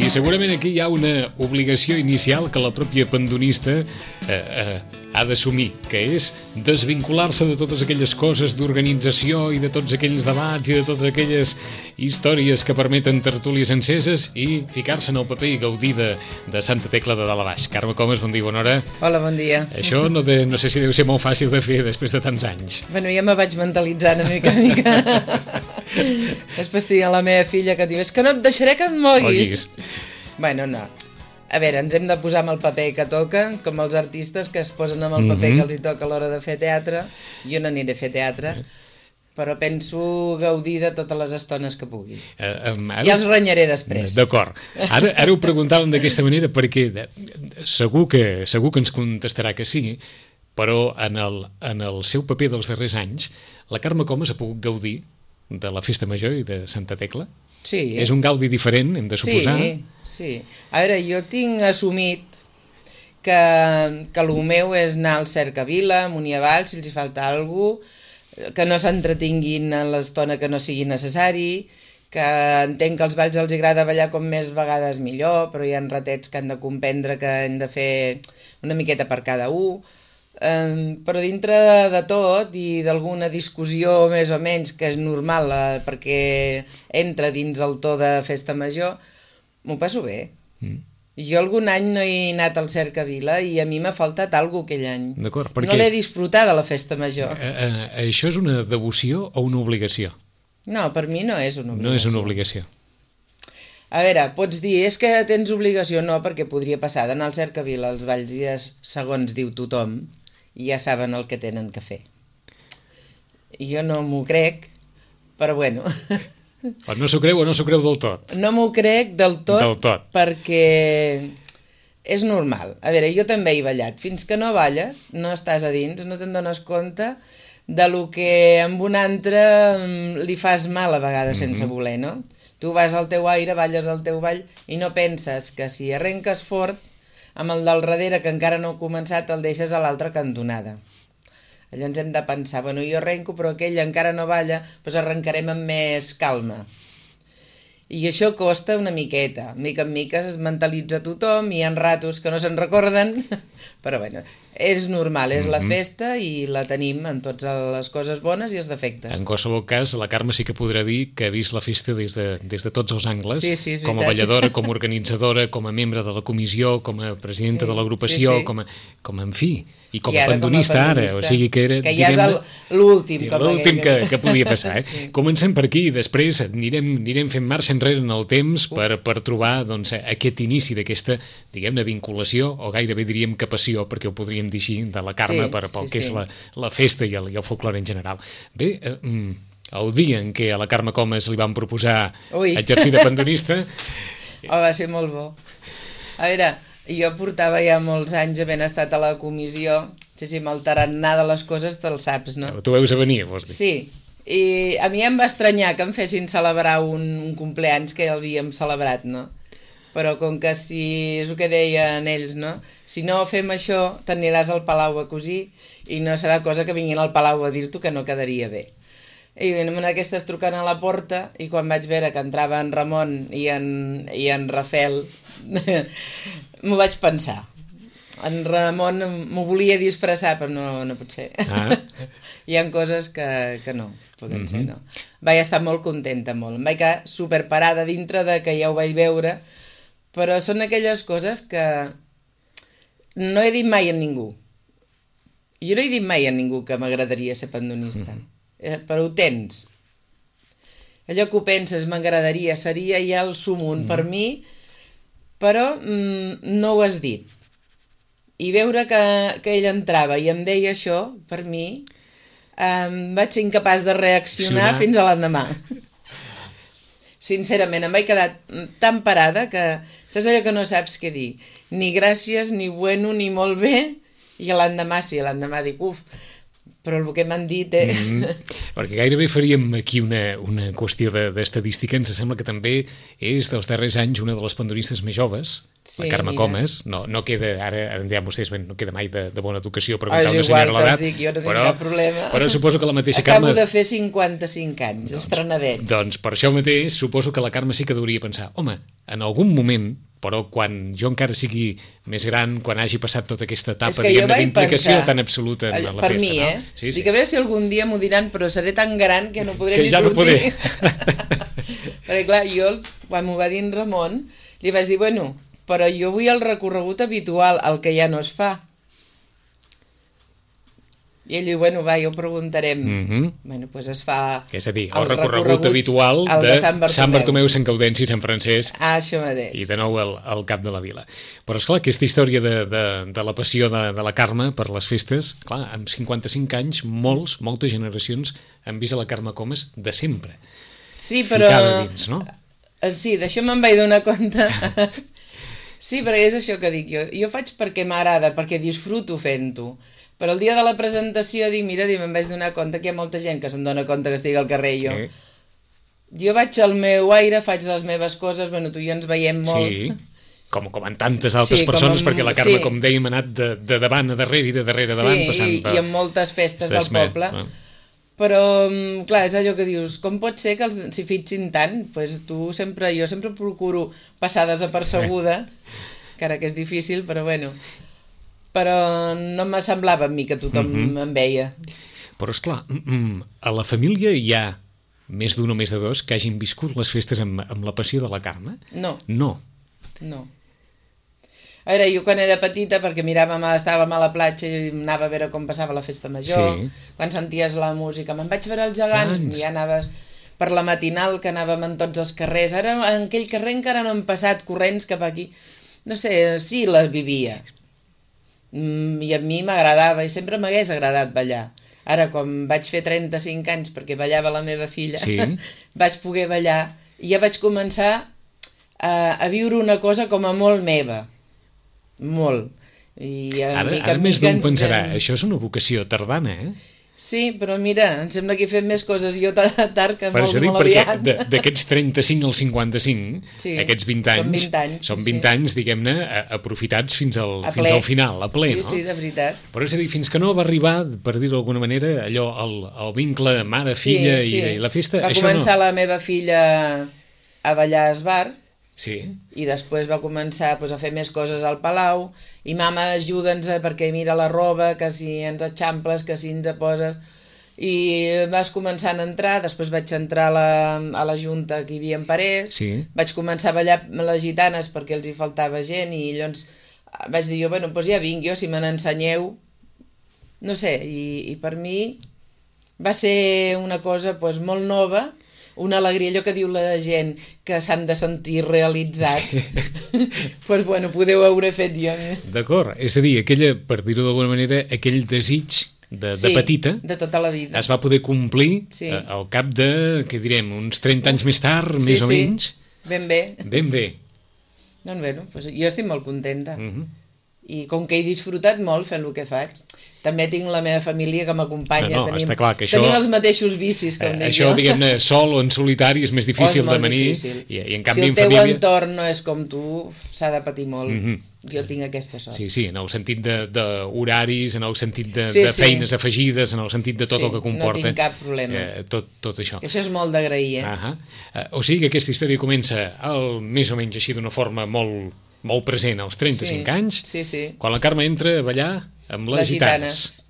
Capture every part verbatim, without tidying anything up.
I segurament aquí hi ha una obligació inicial que la pròpia pandonista eh, eh, ha d'assumir, que és desvincular-se de totes aquelles coses d'organització i de tots aquells debats i de totes aquelles històries que permeten tertúlies enceses i ficar-se en el paper i gaudir de, de Santa Tecla de dalt a baix. Carme Comas, bon dia, bona hora. Hola, bon dia. Això no, de, no sé si deu ser molt fàcil de fer després de tants anys. Bueno, ja me vaig mentalitzant una mica, una mica. Després tinc la meva filla que diu, és que no et deixaré que et moguis. Bueno, no. A veure, ens hem de posar amb el paper que toca, com els artistes que es posen amb el paper mm-hmm. que els hi toca a l'hora de fer teatre. Jo no aniré a fer teatre, però penso gaudir de totes les estones que pugui. Uh, um, ara... Ja els renyaré després. D'acord. Ara, ara ho preguntàvem d'aquesta manera perquè segur que, segur que ens contestarà que sí, però en el, en el seu paper dels darrers anys, la Carme Comas ha pogut gaudir de la Festa Major i de Santa Tecla? Sí. És un gaudi diferent, hem de suposar? Sí, sí. A veure, jo tinc assumit que, que el meu és anar al Cercavila, amunt i avall, si els hi falta alguna cosa, que no s'entretinguin en l'estona que no sigui necessari, que entenc que als balls els agrada ballar com més vegades millor, però hi ha ratets que han de comprendre que hem de fer una miqueta per cada un. Um, però dintre de tot i d'alguna discussió més o menys que és normal eh, perquè entra dins el to de festa major, m'ho passo bé. Mm. Jo algun any no he anat al Cercavila i a mi m'ha faltat alguna cosa aquell any. Perquè... No l'he disfrutat de la festa major. Eh, eh, això és una devoció o una obligació? No, per mi no és una obligació. No és una obligació. A veure, pots dir, és que tens obligació, no, perquè podria passar d'anar al Cercavila als balls i segons diu tothom, i ja saben el que tenen que fer. Jo no m'ho crec, però bueno. O no s'ho creu o no s'ho creu del tot. No m'ho crec del tot, del tot, perquè és normal. A veure, jo també he ballat. Fins que no balles, no estàs a dins, no te'n dones compte de lo que amb un altre li fas mal a vegades sense mm-hmm. voler, no? Tu vas al teu aire, balles al teu ball i no penses que si arrenques fort amb el del darrere, que encara no ha començat, el deixes a l'altra cantonada. Llavors hem de pensar, bueno, jo arrenco, però aquell encara no balla, doncs arrencarem amb més calma. I això costa una miqueta. Mica en mica es mentalitza tothom, hi ha ratos que no se'n recorden, però bueno, és normal, és la festa i la tenim en totes les coses bones i els defectes. En qualsevol cas, la Carme sí que podrà dir que ha vist la festa des de, des de tots els angles, sí, sí, com a balladora, com a organitzadora, com a membre de la comissió, com a presidenta sí, de l'agrupació, sí, sí. com, a, com a en fi, i com, I a, pandonista, com a pandonista ara, o sigui que era... Que ja és l'últim. L'últim que, que podia passar. Eh? Sí. Comencem per aquí i després anirem, anirem fent marxa enrere en el temps per, per trobar doncs, aquest inici d'aquesta, diguem-ne, vinculació, o gairebé diríem que passió, perquè ho podríem dir així, de la Carme sí, per, pel sí, que és sí. la, la festa i el, i el folklore en general. Bé, eh, el dia en què a la Carme Comas li van proposar Ui. exercir de pandonista... Oh, va ser molt bo. A veure, jo portava ja molts anys havent estat a la comissió, sí, sí, amb el tarannà de les coses te'l saps, no? Tu veus a venir, vols dir? Sí, i a mi em va estranyar que em fessin celebrar un, un compleanys que ja l'havíem celebrat, no? Però com que si és el que deien ells, no? Si no fem això, t'aniràs al Palau a cosir i no serà cosa que vinguin al Palau a dir-t'ho que no quedaria bé. I venim aquestes trucant a la porta i quan vaig veure que entrava en Ramon i en, i en Rafel, m'ho vaig pensar. En Ramon m'ho volia disfressar, però no, no pot ser. Ah. Hi ha coses que, que no, poden mm-hmm. ser, no. Vaig estar molt contenta, molt. Em vaig quedar superparada dintre de que ja ho vaig veure, però són aquelles coses que no he dit mai a ningú. Jo no he dit mai a ningú que m'agradaria ser pandonista, mm-hmm. eh, però ho tens. Allò que ho penses, m'agradaria, seria ja el sumum mm-hmm. per mi, però mm, no ho has dit. I veure que, que ell entrava i em deia això, per mi, eh, vaig ser incapaç de reaccionar Accionar. fins a l'endemà. Sincerament, em vaig quedar tan parada que saps allò que no saps què dir. Ni gràcies, ni bueno, ni molt bé. I l'endemà sí, l'endemà dic, uf, però el que m'han dit... Eh? Mm. Perquè gairebé faríem aquí una, una qüestió d'estadística. Ens sembla que també és dels darrers anys una de les pandoristes més joves, sí, la Carme mira. Comas. No, no queda, ara, ara en diran vostès, ben, no queda mai de, de bona educació preguntar oh, una senyora l'edat. Dic, jo no tinc però, cap problema. Però suposo que la mateixa Acabo Carme... de fer cinquanta-cinc anys, doncs, estrenadets. Doncs per això mateix suposo que la Carme sí que hauria pensar, home, en algun moment, però quan jo encara sigui més gran, quan hagi passat tota aquesta etapa d'implicació tan absoluta en la per festa. Mi, no? eh? Sí, sí. Dic, a veure si algun dia m'ho diran, però seré tan gran que no podré que ni ja sortir. No podré. Perquè clar, jo, quan m'ho va dir en Ramon, li vaig dir, bueno, però jo vull el recorregut habitual, el que ja no es fa. I ell diu, bueno, va, ja ho preguntarem. Mm -hmm. Bueno, doncs es fa... És a dir, el, el recorregut, recorregut habitual de, de Sant Bartomeu, Sant Bartomeu Sant Gaudenci, Sant Francesc. Ah, això mateix. I de nou el, el cap de la vila. Però, esclar, aquesta història de, de, de la passió de, de la Carme per les festes, clar, amb cinquanta-cinc anys, molts, moltes generacions han vist a la Carme Comas de sempre. Sí, però... Ficada dins, no? Sí, d'això me'n vaig donar compte. Sí, però és això que dic jo. Jo faig perquè m'agrada, perquè disfruto fent-ho. Però el dia de la presentació dic, mira, me'n vaig donar compte que hi ha molta gent que se'n dona compte que estic al carrer jo. Sí. Jo vaig al meu aire, faig les meves coses, bueno, tu i jo ens veiem molt. Sí, com, com en tantes altres sí, persones, amb, perquè la Carme, sí. com dèiem, ha anat de, de davant a darrere i de darrere a davant, sí, passant i, per... i en moltes festes del poble. Ah. Però, clar, és allò que dius, com pot ser que els, s'hi fixin tant? Pues tu sempre, jo sempre procuro passar desapercebuda, encara que és difícil, però bueno... però no me semblava a mi que tothom mm-hmm. em veia. Però, esclar, a la família hi ha més d'un o més de dos que hagin viscut les festes amb, amb la passió de la Carme? No. No. No. A veure, jo quan era petita, perquè miràvem, estàvem a la platja i anava a veure com passava la festa major, sí. quan senties la música, me'n vaig veure els gegants, Gans. I ja anaves per la matinal, que anàvem en tots els carrers. Ara en aquell carrer encara no han passat corrents cap aquí. No sé, sí les vivia. I a mi m'agradava i sempre m'hagués agradat ballar. Ara, quan vaig fer trenta-cinc anys perquè ballava la meva filla, sí. vaig poder ballar i ja vaig començar a, a viure una cosa com a molt meva. Molt. I a ara, mica, ara més d'un pensarà, ens... això és una vocació tardana, eh? Sí, però mira, em sembla que he fet més coses jo tard que molts molt aviat. D'aquests trenta-cinc als cinquanta-cinc, sí, aquests vint anys, són vint anys, són vint sí. anys diguem-ne, aprofitats fins al, fins al final, a ple, sí, no? Sí, de veritat. Però és a dir, fins que no va arribar, per dir-ho d'alguna manera, allò, el, el vincle mare-filla sí, sí. i, i la festa, va això no... Va començar la meva filla a ballar a esbar, sí. i després va començar pues, a fer més coses al Palau, i mama, ajuda'ns perquè mira la roba, que si ens eixamples, que si ens poses... I vas començant a entrar, després vaig entrar a la, a la junta que hi havia en Parés, sí. vaig començar a ballar les gitanes perquè els hi faltava gent, i llavors vaig dir jo, bueno, doncs ja vinc jo, si me n'ensenyeu, no sé, i, i per mi va ser una cosa pues, molt nova, una alegria, allò que diu la gent, que s'han de sentir realitzats. Sí. Pues bueno, podeu haver fet jo. D'acord, és a dir, aquella, per dir-ho d'alguna manera, aquell desig de, sí, de petita, de tota la vida. Es va poder complir sí. eh, al cap de, què direm, uns trenta anys més tard, sí, més o sí. menys. Ben bé. Ben bé. Doncs bé, no? Pues jo estic molt contenta. Uh -huh. I com que he disfrutat molt fent el que faig, també tinc la meva família que m'acompanya. No, no, tenim, està clar que això... Tenim els mateixos vicis, com eh, dic això, jo. diguem-ne, sol o en solitari és més difícil oh, és de venir. Difícil. I, i en canvi si el en teu família... entorn no és com tu, s'ha de patir molt. Uh -huh. Jo tinc aquesta sort. Sí, sí, en el sentit d'horaris, en el sentit de, sí, de feines sí. afegides, en el sentit de tot sí, el que comporta. No tinc cap problema. Eh, tot, tot això. Això és molt d'agrair, eh? Uh -huh. eh? O sigui que aquesta història comença el, més o menys així d'una forma molt, molt present als trenta-cinc sí, anys, sí, sí. quan la Carme entra a ballar amb les, les gitanes.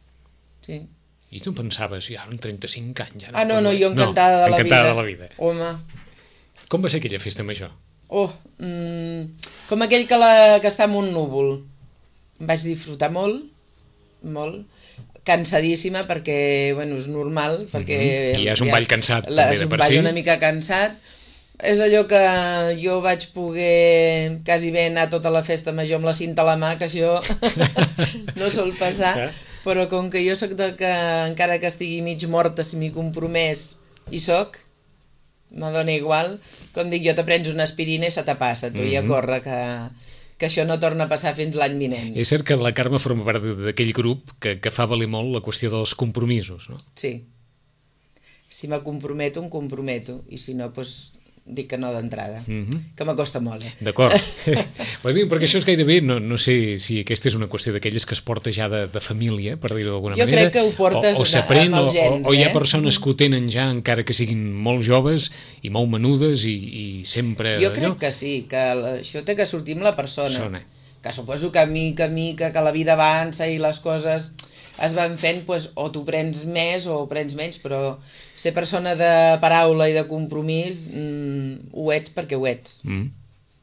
Sí. I tu pensaves, ja, en trenta-cinc anys... Ja no ah, no, no, jo encantada, no, de, la encantada de la vida. Home. Com va ser aquella festa major? Oh, mm, com aquell que, la, que està en un núvol. Em vaig disfrutar molt, molt, cansadíssima perquè, bueno, és normal, perquè... Mm-hmm. I ja és un ball cansat, la, també, de per si. És un ball una mica cansat. És allò que jo vaig poder quasi bé anar tota la festa major amb la cinta a la mà, que això no sol passar, però com que jo sóc de que encara que estigui mig morta, si m'hi compromès, hi soc, me dona igual, com dic jo, te prens una aspirina i se te passa, tu, mm-hmm. i a córrer, que, que això no torna a passar fins l'any vinent. És cert que la Carme forma part d'aquell grup que, que fa valer molt la qüestió dels compromisos, no? Sí. si me comprometo, em comprometo, i si no, doncs dic que no d'entrada, mm-hmm. que m'acosta molt, eh? D'acord. Perquè això és gairebé, no, no sé si aquesta és una qüestió d'aquelles que es porta ja de, de família, per dir-ho d'alguna manera. Jo crec que ho portes o, o s'aprèn, amb els gens, o, o hi ha eh? persones que ho tenen ja, encara que siguin molt joves i molt menudes i, i sempre... Jo crec allò... que sí, que això té que sortir amb la persona. Sona. Que suposo que mica a mica, que la vida avança i les coses es van fent, doncs, o tu prens més o prens menys, però ser persona de paraula i de compromís mmm, ho ets perquè ho ets. Mm.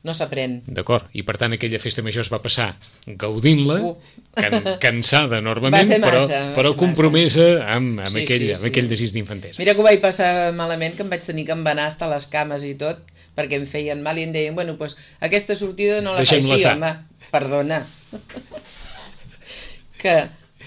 No s'aprèn. D'acord, i per tant aquella festa major es va passar gaudint-la, uh. can, cansada enormement, massa, però, però compromesa amb, amb, sí, aquell, sí, amb sí. aquell desig d'infantesa. Mira que ho vaig passar malament, que em vaig tenir que embenar hasta les cames i tot, perquè em feien mal i em deien, bueno, doncs aquesta sortida no la faig. Sí, home, perdona. que...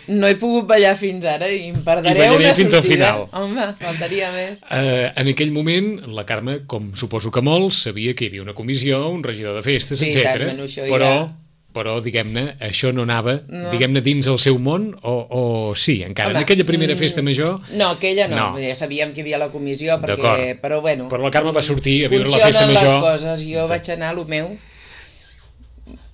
no he pogut ballar fins ara i em perdré una fins sortida. Al final. Home, faltaria més. Uh, en aquell moment, la Carme, com suposo que molts, sabia que hi havia una comissió, un regidor de festes, sí, etcètera. Tant, això però, ja... però diguem-ne, això no anava, no. diguem-ne, dins el seu món, o, o sí, encara. Home, en aquella primera festa major... No, aquella no, no. Ja sabíem que hi havia la comissió, perquè, però bueno... Però la Carme va sortir a viure la festa major... Funcionen les coses, jo vaig anar a lo meu...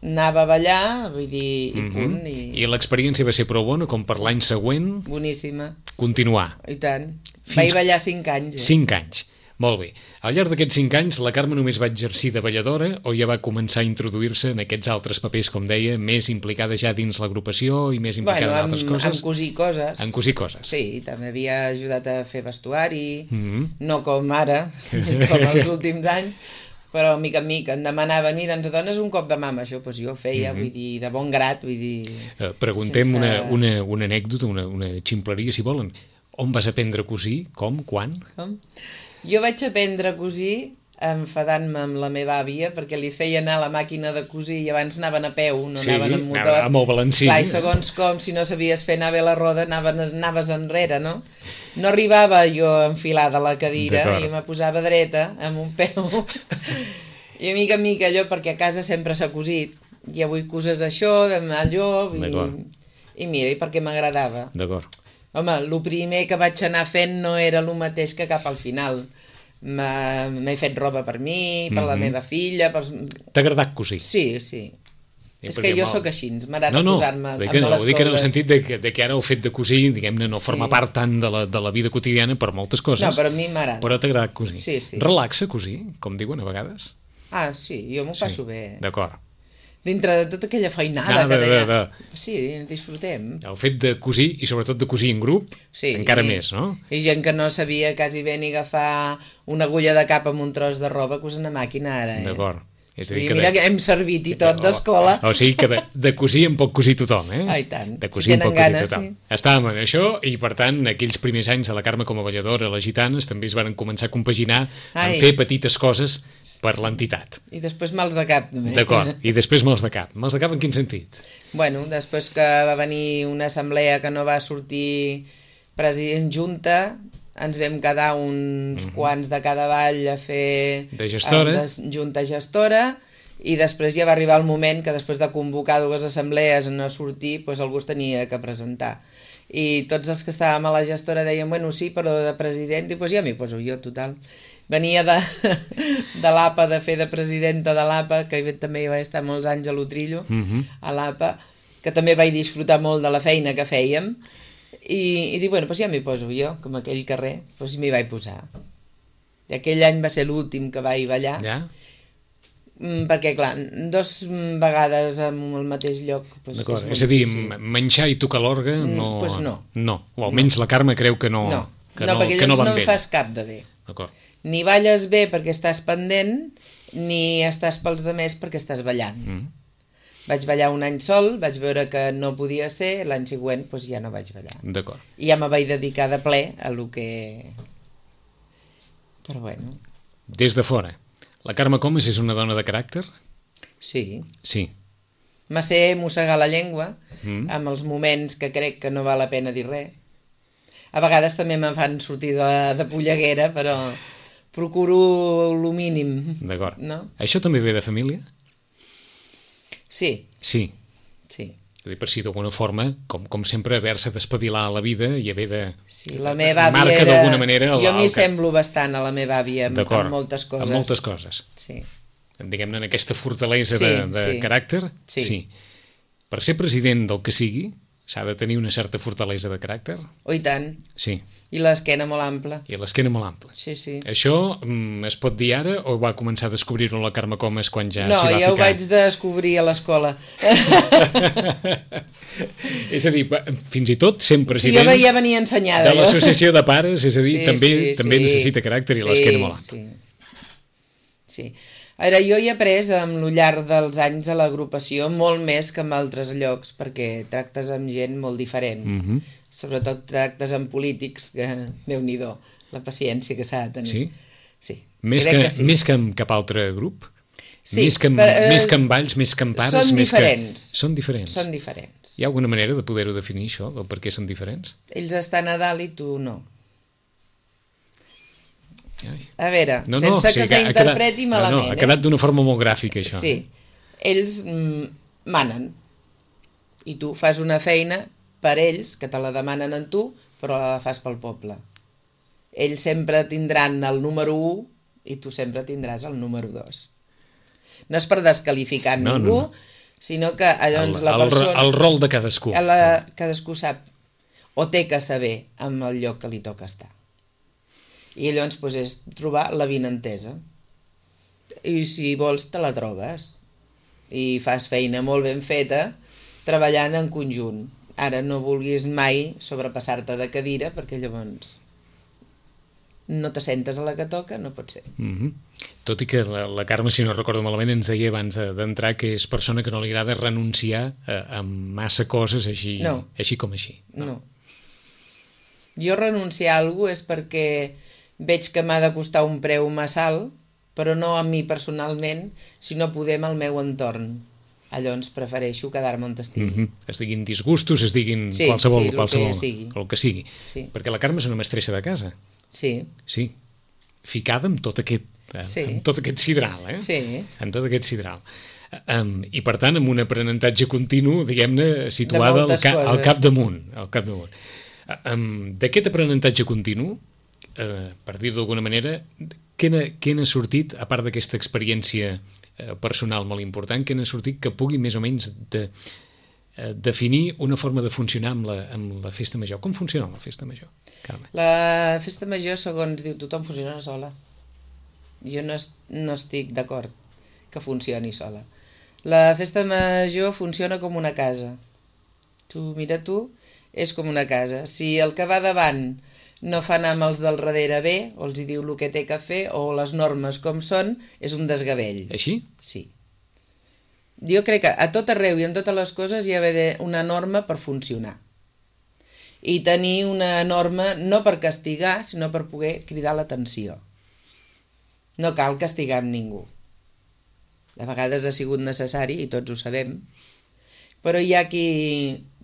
anava a ballar, vull dir, i mm-hmm. punt. I, I l'experiència va ser prou bona, com per l'any següent... Boníssima. Continuar. I tant. Fins... Vaig ballar cinc anys. Eh? Cinc anys. Molt bé. Al llarg d'aquests cinc anys, la Carme només va exercir de balladora o ja va començar a introduir-se en aquests altres papers, com deia, més implicada ja dins l'agrupació i més implicada bueno, en altres amb, coses? En cosir coses. En cosir coses. Sí, també havia ajudat a fer vestuari, mm-hmm. no com ara, com els últims anys, però mica en mica em demanaven, mira, ens dones un cop de mama, això doncs jo feia, mm-hmm. vull dir, de bon grat, vull dir... Uh, preguntem sense... una, una, una anècdota, una, una ximpleria, si volen. On vas aprendre a cosir? Com? Quan? Com? Jo vaig aprendre a cosir enfadant-me amb la meva àvia, perquè li feia anar a la màquina de cosir i abans anaven a peu, no sí, anaven amb motor. Amb el balancí. Clar, i segons com, si no sabies fer anar bé la roda, anaves, anaves enrere, no? No arribava jo enfilada a la cadira i me posava dreta, amb un peu. I a mica en mica allò, perquè a casa sempre s'ha cosit, i avui coses això, demà allò, i, i mira, i perquè m'agradava. D'acord. Home, el primer que vaig anar fent no era el mateix que cap al final. M'he fet roba per mi, per mm-hmm. la meva filla... Per... T'ha agradat cosir? Sí, sí. I és que jo sóc així, m'agrada no, no, posar-me amb no, les coses. Ho dic en el sentit de que, de que ara el fet de cosir, diguem-ne, no sí. forma part tant de la, de la vida quotidiana per moltes coses. No, però a mi m'agrada. Però t'ha agradat cosir. Sí, sí. Relaxa cosir, com diuen a vegades? Ah, sí, jo m'ho passo sí. bé. D'acord. Dintre de tota aquella feinada Nada, que deia... de, de. Sí, disfrutem. El fet de cosir, i sobretot de cosir en grup, sí, encara i, més, no? I gent que no sabia quasi bé ni agafar una agulla de cap amb un tros de roba, cosen a màquina ara, eh? D'acord. És a dir, I que mira de... que hem servit i tot d'escola. O, o sigui que de, de cosir en pot cosir tothom, eh? Ah, i tant. De cosir si en pot ganes, cosir tothom. Sí. Estàvem en això i, per tant, aquells primers anys de la Carme com a balladora a les Gitanes també es van començar a compaginar Ai. en fer petites coses per l'entitat. I després mals de cap, també. D'acord. I després mals de cap. Mals de cap en quin sentit? Bueno, després que va venir una assemblea que no va sortir president junta... ens vam quedar uns mm-hmm. quants de cada ball a fer de gestora. De junta gestora i després ja va arribar el moment que després de convocar dues assemblees a no sortir, doncs algú es tenia que presentar. I tots els que estàvem a la gestora deien, bueno, sí, però de president, i doncs ja m'hi poso jo, total. Venia de, de l'A P A, de fer de presidenta de l'A P A, que també hi vaig estar molts anys a l'Utrillo, mm-hmm. a l'A P A, que també vaig disfrutar molt de la feina que fèiem, i, i dic, bueno, doncs ja m'hi poso jo, com aquell carrer, doncs m'hi vaig posar. I aquell any va ser l'últim que vaig ballar, ja? perquè, clar, dos vegades en el mateix lloc doncs és, és a dir, difícil. Menjar i tocar l'orga no... Doncs no. No, o almenys no. La Carme creu que no, no. que no, no, perquè que no llavors van no en fas cap de bé. Ni balles bé perquè estàs pendent, ni estàs pels demés perquè estàs ballant. Mm. Vaig ballar un any sol, vaig veure que no podia ser, l'any següent doncs ja no vaig ballar. D'acord. I ja me vaig dedicar de ple a lo que... Però bueno... Des de fora, la Carme Comas és una dona de caràcter? Sí. Sí. Me sé mossegar la llengua mm. amb els moments que crec que no val la pena dir res. A vegades també me'n fan sortir de, de polleguera, però procuro lo mínim. D'acord. No? Això també ve de família? Sí. Sí. Sí. per si d'alguna forma, com, com sempre, haver-se d'espavilar a la vida i haver de... Sí, la meva àvia marca era... d'alguna manera... El, jo m'hi el... semblo bastant a la meva àvia amb, amb moltes coses. Amb moltes coses. Sí. Diguem-ne, en aquesta fortalesa sí, de, de sí. caràcter. Sí. sí. Per ser president del que sigui, s'ha de tenir una certa fortalesa de caràcter. Oh, i tant. Sí. I l'esquena molt ampla. I l'esquena molt ampla. Sí, sí. Això mm, es pot dir ara o va començar a descobrir-ho la Carme Comas quan ja no, s'hi va ja ficar? No, ja ho vaig descobrir a l'escola. És a dir, fins i tot sent president sí, jo ja venia ensenyada, de l'associació de pares, és a dir, sí, també, sí, també sí. necessita caràcter i sí, l'esquena molt ampla. Sí, sí. Ara, jo he après amb el llarg dels anys a l'agrupació molt més que en altres llocs, perquè tractes amb gent molt diferent. Mm-hmm. Sobretot tractes amb polítics, que Déu-n'hi-do, la paciència que s'ha de tenir. Sí? Sí. Més que, que sí. més que amb cap altre grup? Sí. Més que amb, per, eh, més que amb balls, més que amb pares? Són més diferents. Que... Són diferents. Són diferents. Hi ha alguna manera de poder-ho definir, això, del per què són diferents? Ells estan a dalt i tu no. Ai. A veure, no, no, sense o sigui, que s'interpreti quedat, malament. No, no, ha quedat d'una forma molt gràfica, això. Sí, ells mm, manen i tu fas una feina per ells, que te la demanen en tu, però la fas pel poble. Ells sempre tindran el número u i tu sempre tindràs el número dos. No és per desqualificar no, ningú, no, no. sinó que llavors el, la persona... El, el rol de cadascú. La, cadascú sap, o té que saber amb el lloc que li toca estar. I llavors pues, és trobar la vinentesa. I si vols te la trobes. I fas feina molt ben feta treballant en conjunt. Ara no vulguis mai sobrepassar-te de cadira perquè llavors no te sentes a la que toca, no pot ser. Mm-hmm. Tot i que la, la Carme, si no recordo malament, ens deia abans d'entrar que és persona que no li agrada renunciar a, a massa coses així, no. així com així. No. no. Jo renunciar a alguna cosa és perquè veig que m'ha de costar un preu massa alt, però no a mi personalment, sinó poder amb el meu entorn. Llavors prefereixo quedar-me on estigui. Mm-hmm. Es diguin disgustos, es diguin sí, qualsevol, sí, el qualsevol, que sigui. El que sigui. Sí. Perquè la Carme és una mestressa de casa. Sí. Sí. Ficada amb tot aquest, eh, sí. amb tot aquest sidral, eh? Sí. Amb tot aquest sidral. Um, I per tant, amb un aprenentatge continu, diguem-ne, situada al, ca al capdamunt. Al capdamunt. Um, D'aquest aprenentatge continu, uh, per dir-ho d'alguna manera, què n'ha sortit, a part d'aquesta experiència uh, personal molt important, què n'ha sortit que pugui més o menys de, uh, definir una forma de funcionar amb la, amb la festa major? Com funciona la festa major, Carme? La festa major, segons diu tothom, funciona sola. Jo no, es, no estic d'acord que funcioni sola. La festa major funciona com una casa. Tu, mira tu, és com una casa. Si el que va davant no fa anar amb els del darrere bé, o els hi diu el que té que fer, o les normes com són, és un desgavell. Així? Sí. Jo crec que a tot arreu i en totes les coses hi ha d'haver una norma per funcionar. I tenir una norma no per castigar, sinó per poder cridar l'atenció. No cal castigar amb ningú. De vegades ha sigut necessari, i tots ho sabem, però hi ha qui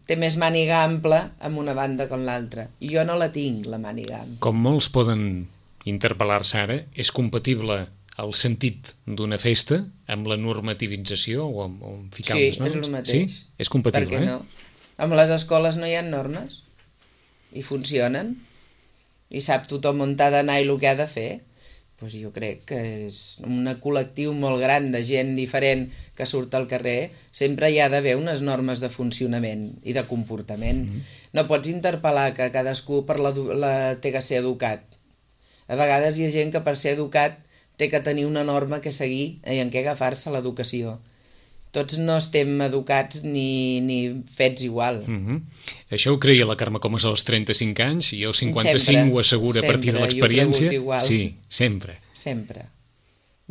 té més màniga ampla amb una banda com l'altra. I jo no la tinc, la màniga ampla. Com molts poden interpel·lar-se ara, és compatible el sentit d'una festa amb la normativització o amb, o amb ficar sí, unes normes? Sí, és el mateix. Sí? És compatible, per què no? Eh? Amb les escoles no hi ha normes i funcionen i sap tothom on ha d'anar i el que ha de fer. Doncs jo crec que és un col·lectiu molt gran de gent diferent que surt al carrer, sempre hi ha d'haver unes normes de funcionament i de comportament. Mm-hmm. No pots interpel·lar que cadascú per la, la, té que ser educat. A vegades hi ha gent que per ser educat té que tenir una norma que seguir i en què agafar-se l'educació. Tots no estem educats ni, ni fets igual. Mm-hmm. Això ho creia la Carme Comas als trenta-cinc anys i als cinquanta-cinc sempre, ho assegura sempre, a partir de l'experiència. Sí, sempre. Sempre.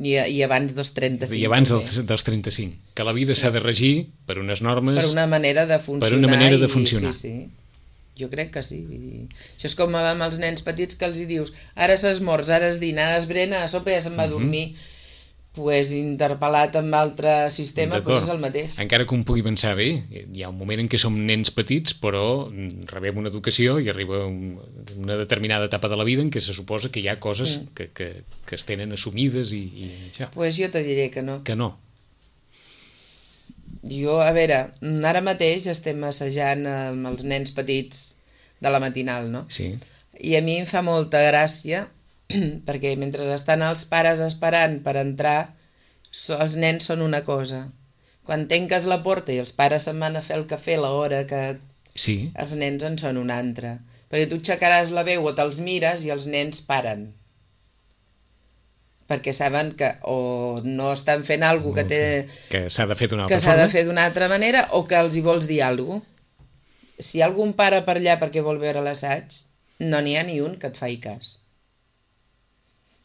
I, i abans dels trenta-cinc. I abans dels, dels trenta-cinc. Que la vida s'ha sí. de regir per unes normes... Per una manera de funcionar. Per una manera de funcionar. I, sí, sí. Jo crec que sí. Vull dir. Això és com amb els nens petits que els hi dius ara s'esmorz, ara es dina, ara es brena, a sopa ja se'n va a dormir. Mm-hmm. Pues interpel·lat amb altre sistema pues és el mateix. Encara que un pugui pensar bé, hi ha un moment en què som nens petits però rebem una educació i arriba un, una determinada etapa de la vida en què se suposa que hi ha coses mm. que, que, que es tenen assumides i, i això. Pues jo te diré que no. Que no. Jo, a veure, ara mateix estem assajant amb els nens petits de la matinal, no? Sí. I a mi em fa molta gràcia perquè mentre estan els pares esperant per entrar, els nens són una cosa. Quan tanques la porta i els pares se'n van a fer el cafè a l'hora que sí. els nens en són una altra. Perquè tu aixecaràs la veu o te'ls mires i els nens paren. Perquè saben que o no estan fent alguna cosa que té... Que s'ha de fer d'una altra que s'ha forma. de fer d'una altra manera o que els hi vols dir alguna cosa. Si algun pare per allà perquè vol veure l'assaig, no n'hi ha ni un que et faci cas.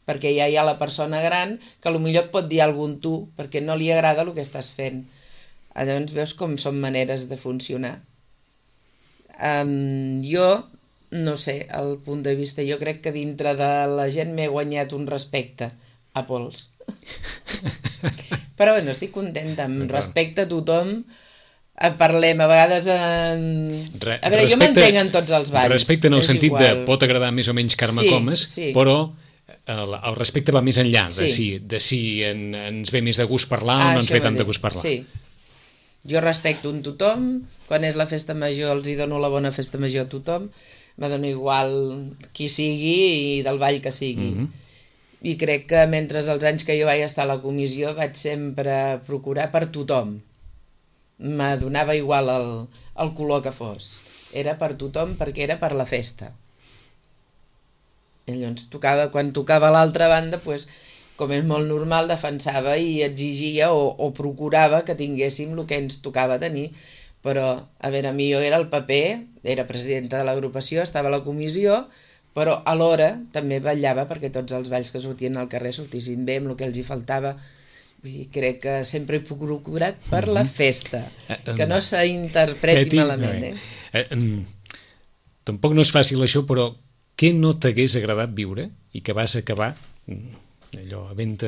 Perquè ja hi ha la persona gran que potser et pot dir alguna cosa tu perquè no li agrada el que estàs fent. Llavors veus com són maneres de funcionar. Um, jo, no sé, el punt de vista, jo crec que dintre de la gent m'he guanyat un respecte a pols. Però bueno, estic contenta, amb respecte a tothom. Parlem, a vegades en... Re, a veure, respecte, jo m'entenc en tots els balls. Respecte en el sentit igual. De pot agradar més o menys Carme sí, Comas, sí. Però el, el respecte va més enllà de sí. si, de si en, ens ve més de gust parlar ah, o no ens ve tant de gust parlar. Sí. Jo respecto un tothom, quan és la festa major els hi dono la bona festa major a tothom, me dono igual qui sigui i del ball que sigui. Mm-hmm. I crec que mentre els anys que jo vaig estar a la comissió vaig sempre procurar per tothom. Me donava igual el, el color que fos. Era per tothom perquè era per la festa. I llavors tocava, quan tocava a l'altra banda, pues, com és molt normal, defensava i exigia o, o procurava que tinguéssim el que ens tocava tenir. Però, a veure, a mi jo era el paper, era presidenta de l'agrupació, estava a la comissió, però alhora també vetllava perquè tots els balls que sortien al carrer sortissin bé amb el que els hi faltava. Vull dir, crec que sempre he procurat per la festa, que no s'interpreti malament. Eh? Eh, eh, tampoc no és fàcil això, però què no t'hagués agradat viure i que vas acabar allò a venda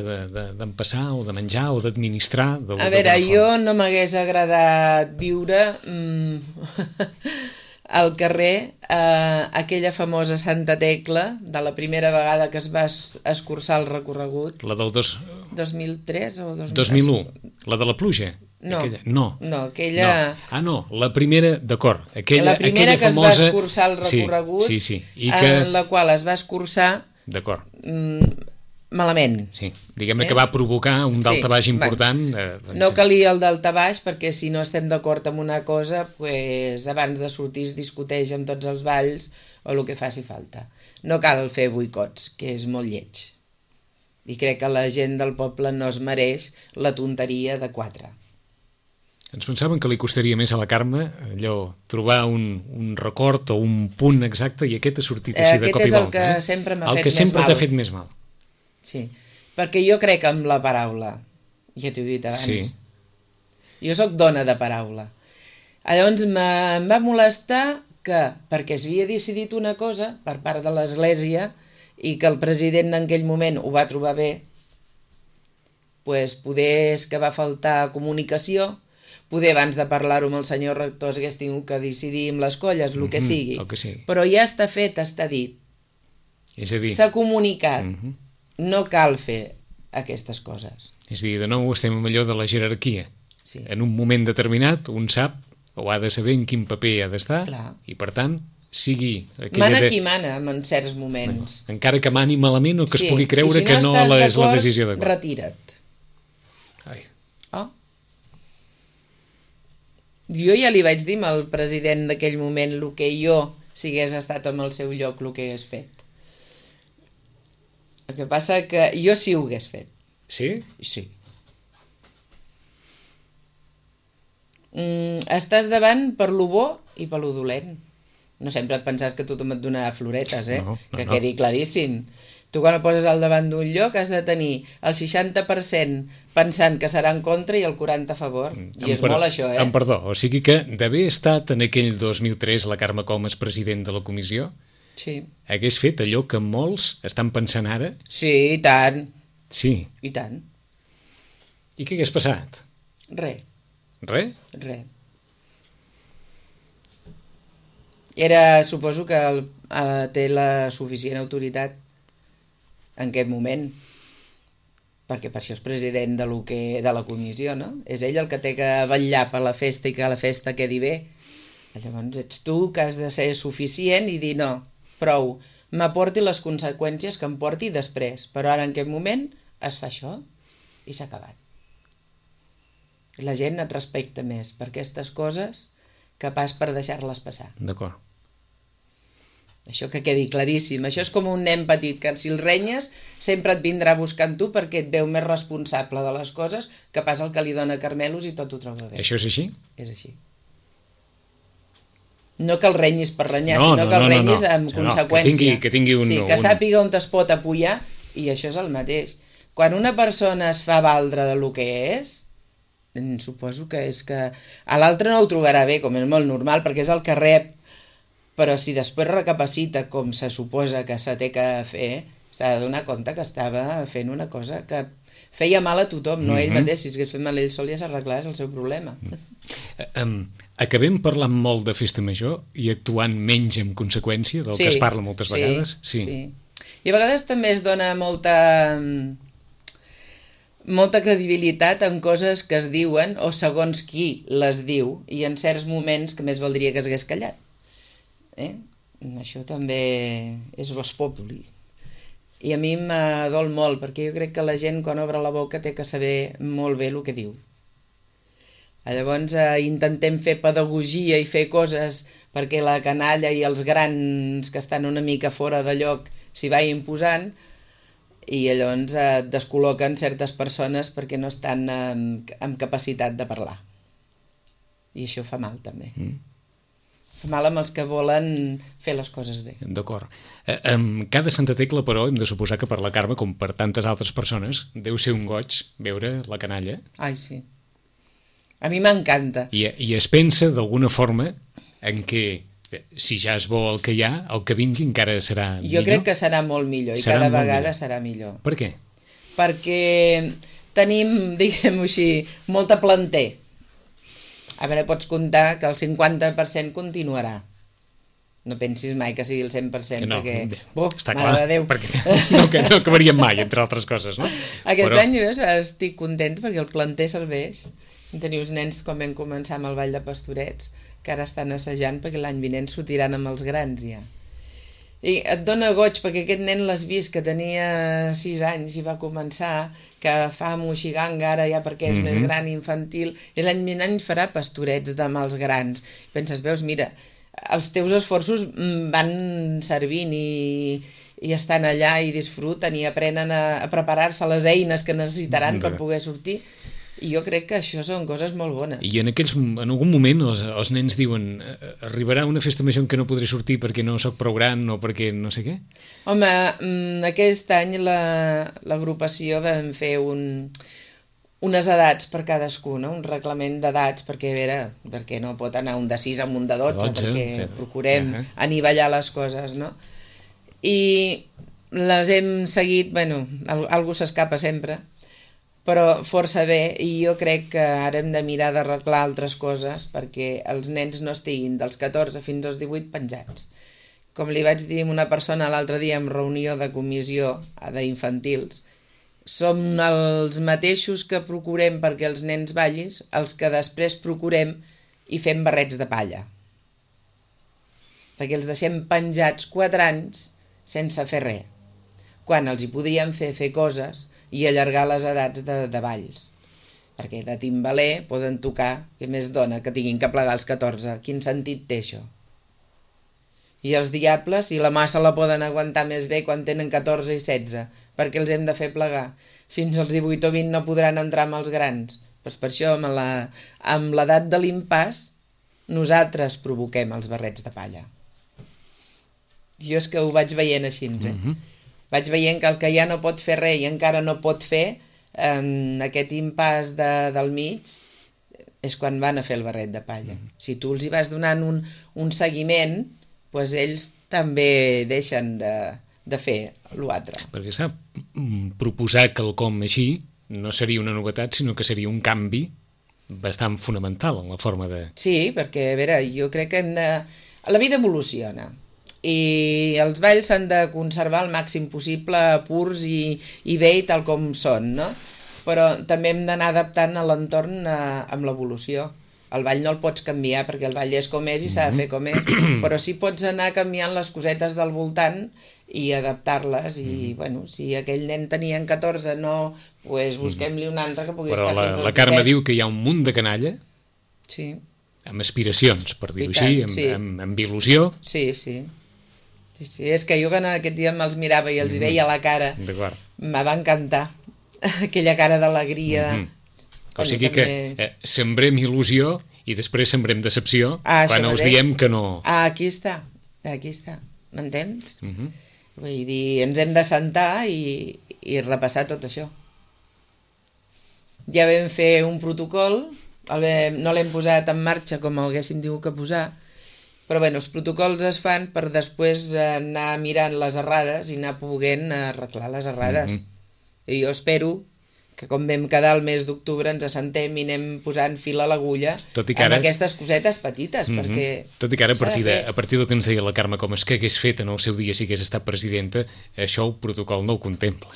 d'empassar de, de, o de menjar o d'administrar? A veure, jo no m'hagués agradat viure mm, al carrer eh, aquella famosa Santa Tecla de la primera vegada que es va escurçar el recorregut. La del dos... dos mil tres o dos mil... dos mil u, la de la pluja? No, aquella, no. no, aquella... No. Ah, no, la primera, d'acord. Aquella, la primera aquella que famosa... es va escurçar el recorregut, sí, sí, sí. I que... en la qual es va escurçar d'acord. Mm, malament. Sí, diguem-ne eh? que va provocar un daltabaix sí, important. Eh, no calia el daltabaix perquè si no estem d'acord amb una cosa, pues, abans de sortir es discuteix amb tots els balls o el que faci falta. No cal fer boicots, que és molt lleig. I crec que la gent del poble no es mereix la tonteria de quatre. Ens pensaven que li costaria més a la Carme allò, trobar un, un record o un punt exacte i aquest ha sortit així aquest de cop i volta. Aquest és el que eh? sempre m'ha fet més mal. El que sempre t'ha fet més mal. Sí, perquè jo crec en la paraula, ja t'ho he dit abans. Sí. Jo sóc dona de paraula. Llavors em va molestar que, perquè es havia decidit una cosa per part de l'Església i que el president en aquell moment ho va trobar bé, pues poder és que va faltar comunicació, poder abans de parlar-ho amb el senyor rector hagués tingut que decidir amb les colles, el que sigui. Mm-hmm, el que sigui. Però ja està fet, està dit. És a dir... S'ha comunicat. Mm-hmm. No cal fer aquestes coses. És a dir, de nou estem amb allò de la jerarquia. Sí. En un moment determinat, un sap o ha de saber en quin paper ha d'estar i, per tant, sigui... Mana de... qui mana en certs moments. Bueno, encara que mani malament o que sí. es pugui creure si no que no la, és la decisió d'acord. Retira't. Ai. Oh. Jo ja li vaig dir al president d'aquell moment el que jo, si hagués estat en el seu lloc, el que hagués fet. El que passa que jo sí ho hagués fet. Sí? Sí. Mm, estàs davant per lo bo i per lo dolent. No sempre et penses que tothom et donarà floretes, eh? No, no, que no. quedi claríssim. Tu quan et poses al davant d'un lloc has de tenir el seixanta per cent pensant que serà en contra i el quaranta a favor. I és per... molt això, eh? Em perdó, o sigui que d'haver estat en aquell dos mil tres la Carme Comas president de la comissió, sí. Hagués fet allò que molts estan pensant ara? Sí, i tant. Sí. I tant. I què hagués passat? Res. Res? Res. Era, suposo que el, el, té la suficient autoritat en aquest moment. perquè per això és president de, lo que, de la comissió, no? És ell el que té que vetllar per la festa i que la festa quedi bé. Llavors ets tu que has de ser suficient i dir no, prou, m'aporti les conseqüències que em porti després, però ara en aquest moment es fa això i s'ha acabat. La gent et respecta més per aquestes coses que pas per deixar-les passar. D'acord. Això que quedi claríssim. Això és com un nen petit, que si el renyes sempre et vindrà buscant tu perquè et veu més responsable de les coses que pas el que li dona carmelos i tot ho troba bé. Això és així? És així. No que el renyis per renyar, no, sinó no, que el no, renyis no, no. amb no, conseqüència. Que tingui, que tingui un... Sí, que un... sàpiga on es pot apoyar, i això és el mateix. Quan una persona es fa valdre de lo que és, suposo que és que a l'altre no ho trobarà bé, com és molt normal, perquè és el que rep, però si després recapacita com se suposa que se té que fer, s'ha de donar compte que estava fent una cosa que feia mal a tothom, no mm -hmm. ell mateix. Si hagués fet mal ell sol ja s'arreglar, és el seu problema. Mm. Um, acabem parlant molt de festa major i actuant menys en conseqüència del sí, que es parla moltes sí, vegades? Sí, sí. I a vegades també es dona molta... molta credibilitat en coses que es diuen o segons qui les diu, i en certs moments que més valdria que s'hagués callat. Eh? Això també és vos populi. I a mi m'adol molt, perquè jo crec que la gent quan obre la boca té que saber molt bé el que diu. Llavors eh, intentem fer pedagogia i fer coses perquè la canalla i els grans que estan una mica fora de lloc s'hi vagin posant, i llavors eh, descol·loquen certes persones perquè no estan amb, amb capacitat de parlar. I això fa mal també. Mm. Fa mal amb els que volen fer les coses bé. D'acord. Eh, amb cada Santa Tecla, però, hem de suposar que per la Carme, com per tantes altres persones, deu ser un goig veure la canalla. Ai, sí. A mi m'encanta. I, I es pensa, d'alguna forma, en què, si ja és bo el que hi ha, el que vingui encara serà millor? Jo crec que serà molt millor, i serà cada vegada millor. Serà millor. Per què? Perquè tenim, diguem-ho així, molta planter. A veure, pots comptar que el cinquanta per cent continuarà. No pensis mai que sigui el cent per cent, no, perquè... Oh, està mare clar, de Déu. perquè no, no acabaríem mai, entre altres coses, no? Aquest Però... any jo estic content perquè el planter serveix. Teniu uns nens, com vam començar amb el Ball de Pastorets, que ara estan assajant perquè l'any vinent sortiran amb els grans ja. I et dona goig perquè aquest nen l'has vist que tenia sis anys i va començar, que fa moixiganga ara ja perquè és mm -hmm. més gran, infantil, i l'any vinent farà pastorets amb els grans. Penses, veus, mira, els teus esforços van servint i, i estan allà i disfruten i aprenen a, a preparar-se les eines que necessitaran per poder sortir. I jo crec que això són coses molt bones. I en, aquells, en algun moment els, els nens diuen arribarà una festa major en què no podré sortir perquè no sóc prou gran o perquè no sé què? Home, aquest any l'agrupació la, vam fer un, unes edats per cadascú, no? Un reglament d'edats perquè, a veure, perquè no pot anar un de sis amb un de dotze, dotze perquè ja. procurem uh -huh. anivellar les coses, no? I les hem seguit, bueno, algú s'escapa sempre, però força bé, i jo crec que ara hem de mirar d'arreglar altres coses perquè els nens no estiguin dels catorze fins als divuit penjats. Com li vaig dir a una persona l'altre dia en reunió de comissió d'infantils, som els mateixos que procurem perquè els nens ballin, els que després procurem i fem barrets de palla. Perquè els deixem penjats quatre anys sense fer res, quan els hi podríem fer fer coses i allargar les edats de, de balls. Perquè de timbaler poden tocar, que més dona que tinguin que plegar als catorze. Quin sentit té això? I els diables, i la massa la poden aguantar més bé quan tenen catorze i setze, perquè els hem de fer plegar. Fins als divuit o vint no podran entrar amb els grans. Pues per això, amb l'edat de l'impàs, nosaltres provoquem els barrets de palla. Jo és que ho vaig veient així, eh? Mm-hmm. Vaig veient que el que ja no pot fer res i encara no pot fer, en aquest impàs de, del mig, és quan van a fer el barret de palla. Mm. Si tu els hi vas donant un, un seguiment, doncs ells també deixen de, de fer l'altre. Perquè sap, proposar quelcom així no seria una novetat, sinó que seria un canvi bastant fonamental en la forma de... Sí, perquè, a veure, jo crec que hem de... La vida evoluciona. i els balls s'han de conservar al màxim possible purs i, i bé i tal com són, no? Però també hem d'anar adaptant a l'entorn amb l'evolució. El ball no el pots canviar perquè el ball és com és i s'ha de fer com és, però sí pots anar canviant les cosetes del voltant i adaptar-les i, mm. bueno, si aquell nen tenia en catorze, no, pues busquem-li un altre que pugui però estar la, fins als la Carme disset. diu que hi ha un munt de canalla Sí. amb aspiracions, per dir-ho tant, així, amb, sí. amb, amb il·lusió. Sí, sí. Sí, sí. És que jo que aquest dia me'ls mirava i els hi veia la cara, D'acord. me va encantar aquella cara d'alegria. Mm-hmm. O sigui que eh, sembrem il·lusió i després sembrem decepció ah, quan els diem que no... Ah, aquí està, aquí està, m'entens? Mm-hmm. Vull dir, ens hem de sentar i, i repassar tot això. Ja vam fer un protocol, el vam, no l'hem posat en marxa com el haguéssim dit que posar, però bueno, els protocols es fan per després anar mirant les errades i anar poguent arreglar les errades. Mm-hmm. I jo espero que com vam quedar el mes d'octubre ens assentem i anem posant fil a l'agulla amb ara... aquestes cosetes petites, mm-hmm. perquè... Tot i que ara, a partir, de, a partir del que ens deia la Carme Comas, que hagués fet en el seu dia si hagués estat presidenta, això el protocol no ho contempla.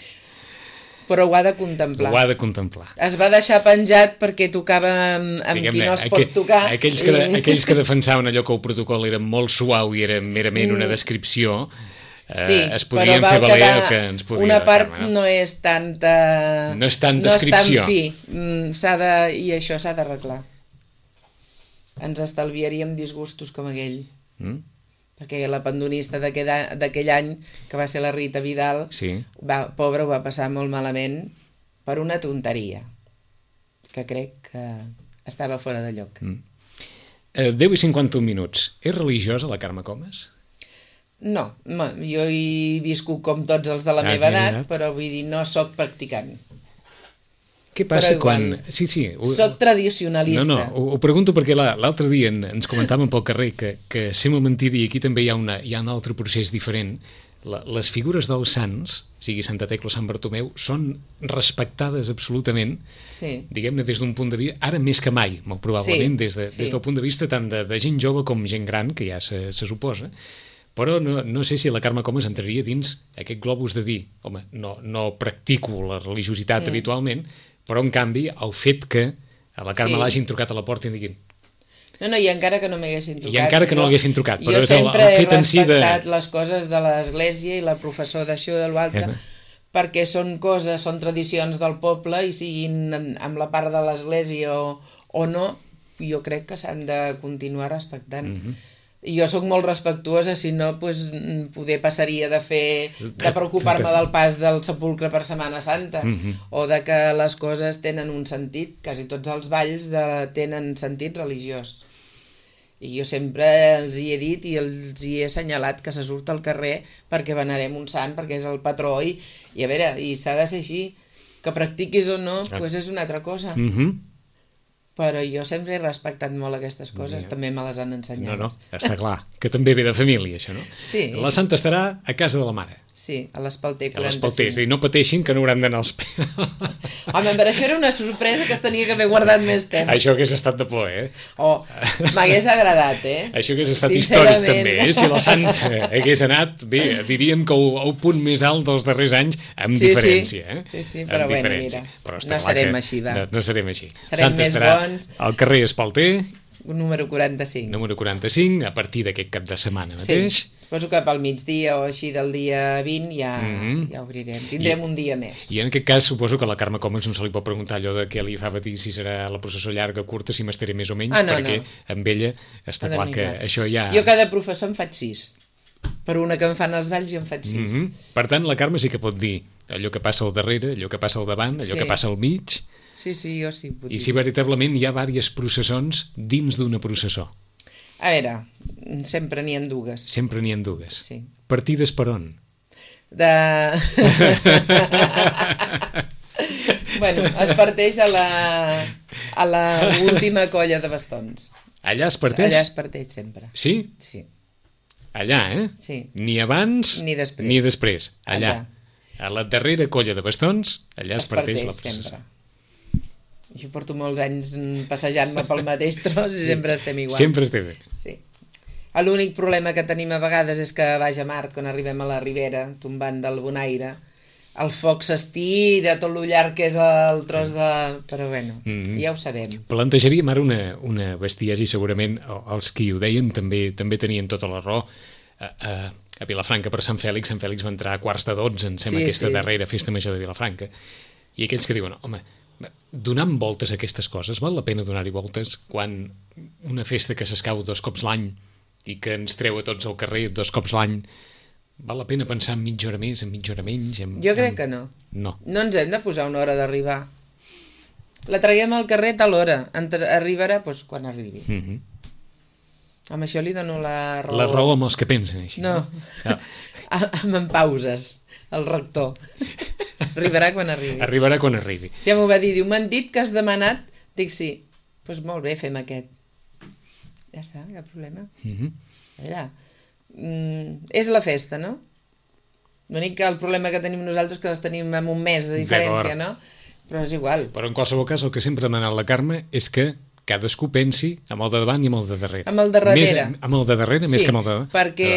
Però ho ha de contemplar. Ho ha de contemplar. Es va deixar penjat perquè tocava amb, amb qui no es pot aqu tocar. Aquells que, i... aquells que defensaven allò que el protocol era molt suau i era merament una descripció... Sí, eh, es podien fer valer el que ens podia. Una part Carme, no? no és tanta... No és tant descripció. No és tan fi. Mm, de, I això s'ha d'arreglar. Ens estalviaríem disgustos com aquell. Mm? Perquè la pandonista d'aquell any, que va ser la Rita Vidal, sí. va, pobra, ho va passar molt malament per una tonteria, que crec que estava fora de lloc. Mm. Eh, deu i cinquanta-un minuts. És religiosa la Carme Comas? No, jo he viscut com tots els de la ah, meva edat, edat, però vull dir, no sóc practicant. Què passa igual, quan... Sí, sí. Ho... Soc tradicionalista. No, no, ho, ho pregunto perquè l'altre dia ens comentàvem pel carrer que, que sembla mentida i aquí també hi ha, una, hi ha un altre procés diferent. La, les figures dels sants, sigui Santa Tecla o Sant Bartomeu, són respectades absolutament, sí. diguem-ne, des d'un punt de vista, ara més que mai, molt probablement, sí, des, de, sí. des del punt de vista tant de, de gent jove com gent gran, que ja se, se suposa. Però no, no sé si la Carme Comas entraria dins aquest globus de dir, home, no, no practico la religiositat mm. habitualment, però en canvi el fet que a la Carme sí. l'hagin trucat a la porta i diguin... No, no, i encara que no m'haguessin trucat. I encara que no l'haguessin trucat, però és el, el fet en si de... Jo sempre he respectat les coses de l'església i la professor d'això i de l'altre, eh. perquè són coses, són tradicions del poble i siguin amb la part de l'església o, o no, jo crec que s'han de continuar respectant. Mm-hmm. I jo sóc molt respectuosa, si no, pues, poder passaria de fer, de preocupar-me del pas del sepulcre per Setmana Santa, mm-hmm. o de que les coses tenen un sentit, quasi tots els balls de, tenen sentit religiós. I jo sempre els hi he dit i els hi he assenyalat que se surt al carrer perquè venerem un sant, perquè és el patró, i, i a veure, i s'ha de ser així, que practiquis o no, ah. pues és una altra cosa. Mhm. Però jo sempre he respectat molt aquestes coses, ja. També me les han ensenyat. No, no, està clar, que també ve de família, això, no? Sí. La santa estarà a casa de la mare. Sí, a l'Espalter quaranta-cinc. A l'Espalter, i no pateixin que no hauran d'anar als... Home, per això era una sorpresa que es tenia que haver guardat més temps. Això hagués estat de por, eh? Oh, m'hagués agradat, eh? Això hagués estat històric, també, eh? Si la santa hagués anat, bé, diríem que el, el punt més alt dels darrers anys, amb sí, diferència, sí. eh? Sí, sí, però amb bueno, mira, no serem així, va. No, no serem així. Serem Santa més estarà bons. Al carrer Espalter, número quaranta-cinc. Número quaranta-cinc, a partir d'aquest cap de setmana mateix. Sí, suposo que pel migdia o així del dia vint ja, mm-hmm. ja obrirem. Tindrem I, un dia més. I en aquest cas suposo que a la Carme Comas no se li pot preguntar allò de què li fa patir, si serà la processó llarga o curta, si m'estaré més o menys, ah, no, perquè no. amb ella està no, clar que clar. Això ja... Jo cada professor en faig sis. Per una que em fan els balls jo en faig sis. Mm-hmm. Per tant, la Carme sí que pot dir allò que passa al darrere, allò que passa al davant, allò sí. que passa al mig... Sí, sí, jo sí. I si veritablement hi ha diverses processons dins d'una processó. A veure, sempre n'hi ha dues. Sempre n'hi ha dues. Sí. Partides per on? De... bueno, es parteix a la, a la última colla de bastons. Allà es parteix? Allà es parteix sempre. Sí? Sí. Allà, eh? Sí. Ni abans ni després. Ni després. Allà. allà. A la darrera colla de bastons, allà es, es parteix, parteix la processó. Sempre. Jo porto molts anys passejant-me pel mateix tros i sempre estem igual. Sempre estem bé. Sí. L'únic problema que tenim a vegades és que a baix a mar, quan arribem a la ribera, tombant del Bonaire, el foc s'estira, tot lo llarg que és el tros de... Però bueno, mm-hmm. ja ho sabem. Plantejaríem ara una, una bestiesa i segurament els qui ho deien també també tenien tota la raó. A, a, a Vilafranca per Sant Fèlix, Sant Fèlix va entrar a quarts de dotze, em sembla, sí, aquesta sí. darrera festa major de Vilafranca. I aquells que diuen, home, donant voltes a aquestes coses, val la pena donar-hi voltes quan una festa que s'escau dos cops l'any i que ens treu a tots al carrer dos cops l'any, val la pena pensar en mitja hora més, en mitja hora menys? En, jo crec en... que no. No. No ens hem de posar una hora d'arribar. La traiem al carrer a tal hora. Arribarà doncs, quan arribi. Mm-hmm. Amb això li dono la raó. La raó amb els que pensen així. No, no. Amb en pauses, el rector. Arribarà quan arribi. Arribarà quan arribi. Si ja m'ho va dir, diu, m'han dit que has demanat, dic sí. Doncs pues molt bé, fem aquest. Ja està, cap problema. Mm-hmm. A veure, mm, és la festa, no? L'únic que el problema que tenim nosaltres és que les tenim amb un mes de diferència, no? Però és igual. Però en qualsevol cas el que sempre ha demanat la Carme és que cadascú pensi amb el de davant i amb el de darrere. Amb el de darrere. Més, amb el de darrere sí, més que amb el de davant. Perquè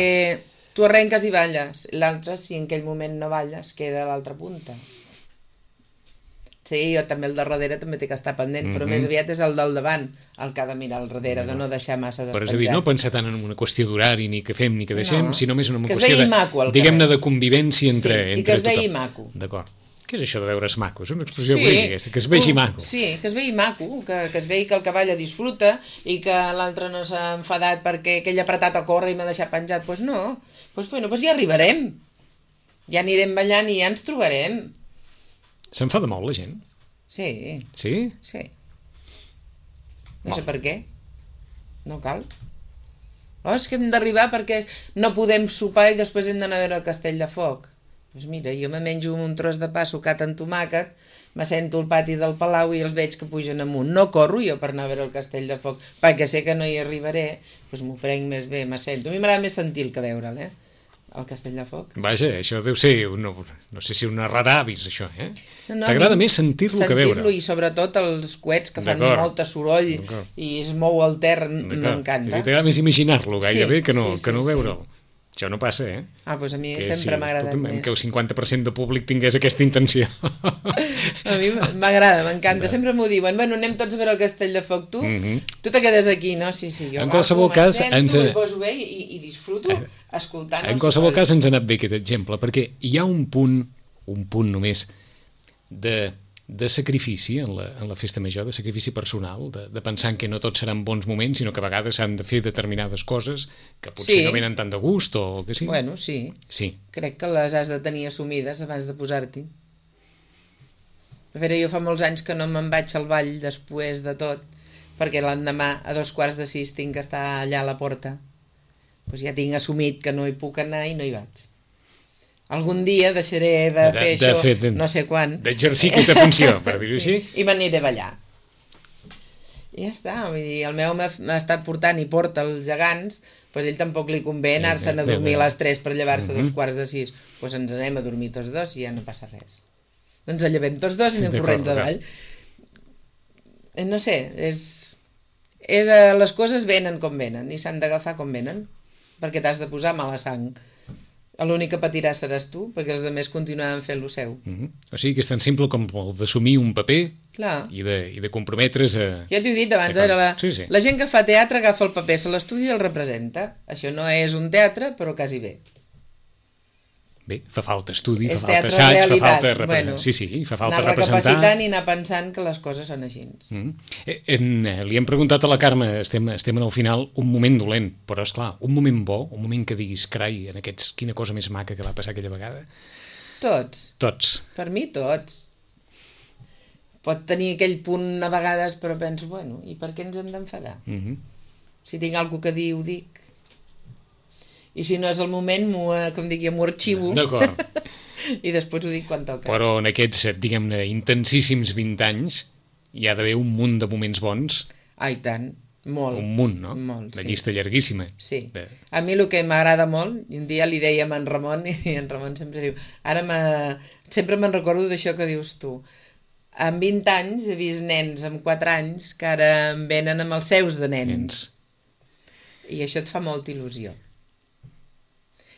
tu arrenques i balles. L'altre, si en aquell moment no balles, queda a l'altra punta. Sí, jo també el de darrere també té que estar pendent, mm-hmm. però més aviat és el del davant el que ha de mirar al darrere, no. de no deixar massa despenjat. Però és a dir, no pensar tant en una qüestió d'horari, ni que fem ni que deixem, no. sinó més en una que qüestió de, diguem-ne, de convivència entre, sí, entre i que es tothom. vegi maco. D'acord. Què és això de veure's maco? És una expressió sí. política, que es vegi maco. Sí, que es vegi maco, que, que es vegi que el cavall disfruta i que l'altre no s'ha enfadat perquè aquell apretat a córrer i m'ha deixat penjat. Doncs pues no, pues, bueno, pues ja arribarem. Ja anirem ballant i ja ens trobarem. S'enfada molt la gent? Sí. Sí? Sí. No sé per què. No cal. Oh, és que hem d'arribar perquè no podem sopar i després hem d'anar a veure el Castell de Foc. Doncs mira, jo me menjo un tros de pa sucat en tomàquet, me sento al pati del Palau i els veig que pugen amunt. No corro jo per anar a veure el Castell de Foc, perquè sé que no hi arribaré, doncs m'ho prenc més bé, me sento. A mi m'agrada més sentir-lo que veure'l, eh? El Castell de Foc. Vaja, això deu ser, no, no sé si una rara avis, això, eh? No, no, T'agrada més sentir-lo que veure'l. Sentir-lo i sobretot els coets que fan molt de soroll i es mou el ter, m'encanta. T'agrada més imaginar-lo gairebé sí, que no, sí, que no sí, veure'l. Sí. Això no passa, eh? Ah, doncs a mi que sempre si, m'ha agradat més. Que el cinquanta per cent de públic tingués aquesta intenció. A mi m'agrada, m'encanta. Sempre m'ho diuen, bueno, anem tots a veure el Castell de Foc, tu? Mm-hmm. Tu te quedes aquí, no? Sí, sí, jo en qualsevol agafo, cas, sento, ens... i poso bé i, i disfruto escoltant. En qualsevol cas ens ha anat bé aquest exemple, perquè hi ha un punt, un punt només, de... de sacrifici en la, en la festa major, de sacrifici personal, de, de pensar que no tots seran bons moments, sinó que a vegades s'han de fer determinades coses que potser sí. no venen tant de gust o el que sigui. Bueno, sí. sí. Crec que les has de tenir assumides abans de posar-t'hi. A veure, jo fa molts anys que no me'n vaig al ball després de tot, perquè l'endemà a dos quarts de sis tinc que estar allà a la porta. Doncs ja tinc assumit que no hi puc anar i no hi vaig. Algun dia deixaré de, de fer de, això, de, de, no sé quan. D'exercir aquesta funció, per dir-ho sí, així. I m'aniré a ballar. I ja està, vull dir, el meu m'ha estat portant i porta els gegants, doncs ell tampoc li convé anar-se'n a dormir a les tres per llevar-se a dos quarts de sis. Doncs ens anem a dormir tots dos i ja no passa res. Ens llevem tots dos i anem corrents avall. No sé, és, és, les coses venen com venen i s'han d'agafar com venen, perquè t'has de posar mala sang. L'únic que patirà seràs tu, perquè els altres continuaran fent lo seu. Mm-hmm. O sigui que és tan simple com el d'assumir un paper i de, i de comprometre's a... Ja t'ho he dit abans, era la, sí, sí. la gent que fa teatre agafa el paper, se l'estudi i el representa. Això no és un teatre, però quasi bé. Bé, fa falta estudi, és fa falta assaig, fa falta representar. Bueno, sí, sí, fa falta anar representar. Anar recapacitant i anar pensant que les coses són així. Mm-hmm. En, li hem preguntat a la Carme, estem, estem en el final, un moment dolent, però és clar, un moment bo, un moment que diguis, carai, en aquests, quina cosa més maca que va passar aquella vegada. Tots. Tots. Per mi tots. Pot tenir aquell punt a vegades, però penso, bueno, i per què ens hem d'enfadar? Mm-hmm. Si tinc alguna que dir, ho dic. I si no és el moment, com dic jo, m'ho arxivo. D'acord. I després ho dic quan toca. Però en aquests, diguem-ne, intensíssims vint anys hi ha d'haver un munt de moments bons. Ai, tant. Molt. Un munt, no? Molt, La sí. llista llarguíssima. Sí. De... A mi el que m'agrada molt, i un dia li dèiem a en Ramon, i en Ramon sempre diu, ara sempre me'n recordo d'això que dius tu. En vint anys he vist nens amb quatre anys que ara em venen amb els seus de nens. nens. I això et fa molta il·lusió.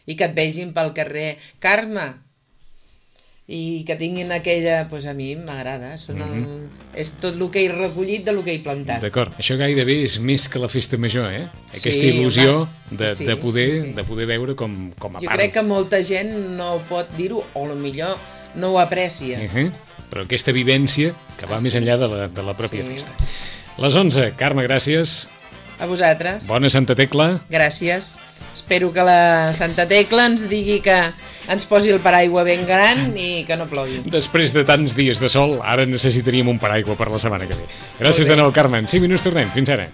I que et vegin pel carrer, Carme, i que tinguin aquella... Doncs pues a mi m'agrada, són el... mm-hmm. és tot el que he recollit de lo que he plantat. D'acord, això gairebé és més que la festa major, eh? Aquesta sí, il·lusió de, sí, de, poder, sí, sí. de poder veure com, com a jo part. Jo crec que molta gent no pot dir-ho, o potser no ho aprecia. Uh-huh. Però aquesta vivència que va ah, més sí. enllà de la, de la pròpia sí. festa. Les onze, Carme, gràcies. A vosaltres. Bona Santa Tecla. Gràcies. Espero que la Santa Tecla ens digui que ens posi el paraigua ben gran i que no plogui. Després de tants dies de sol, ara necessitaríem un paraigua per la setmana que ve. Gràcies de nou, Carme. En cinc minuts tornem. Fins ara.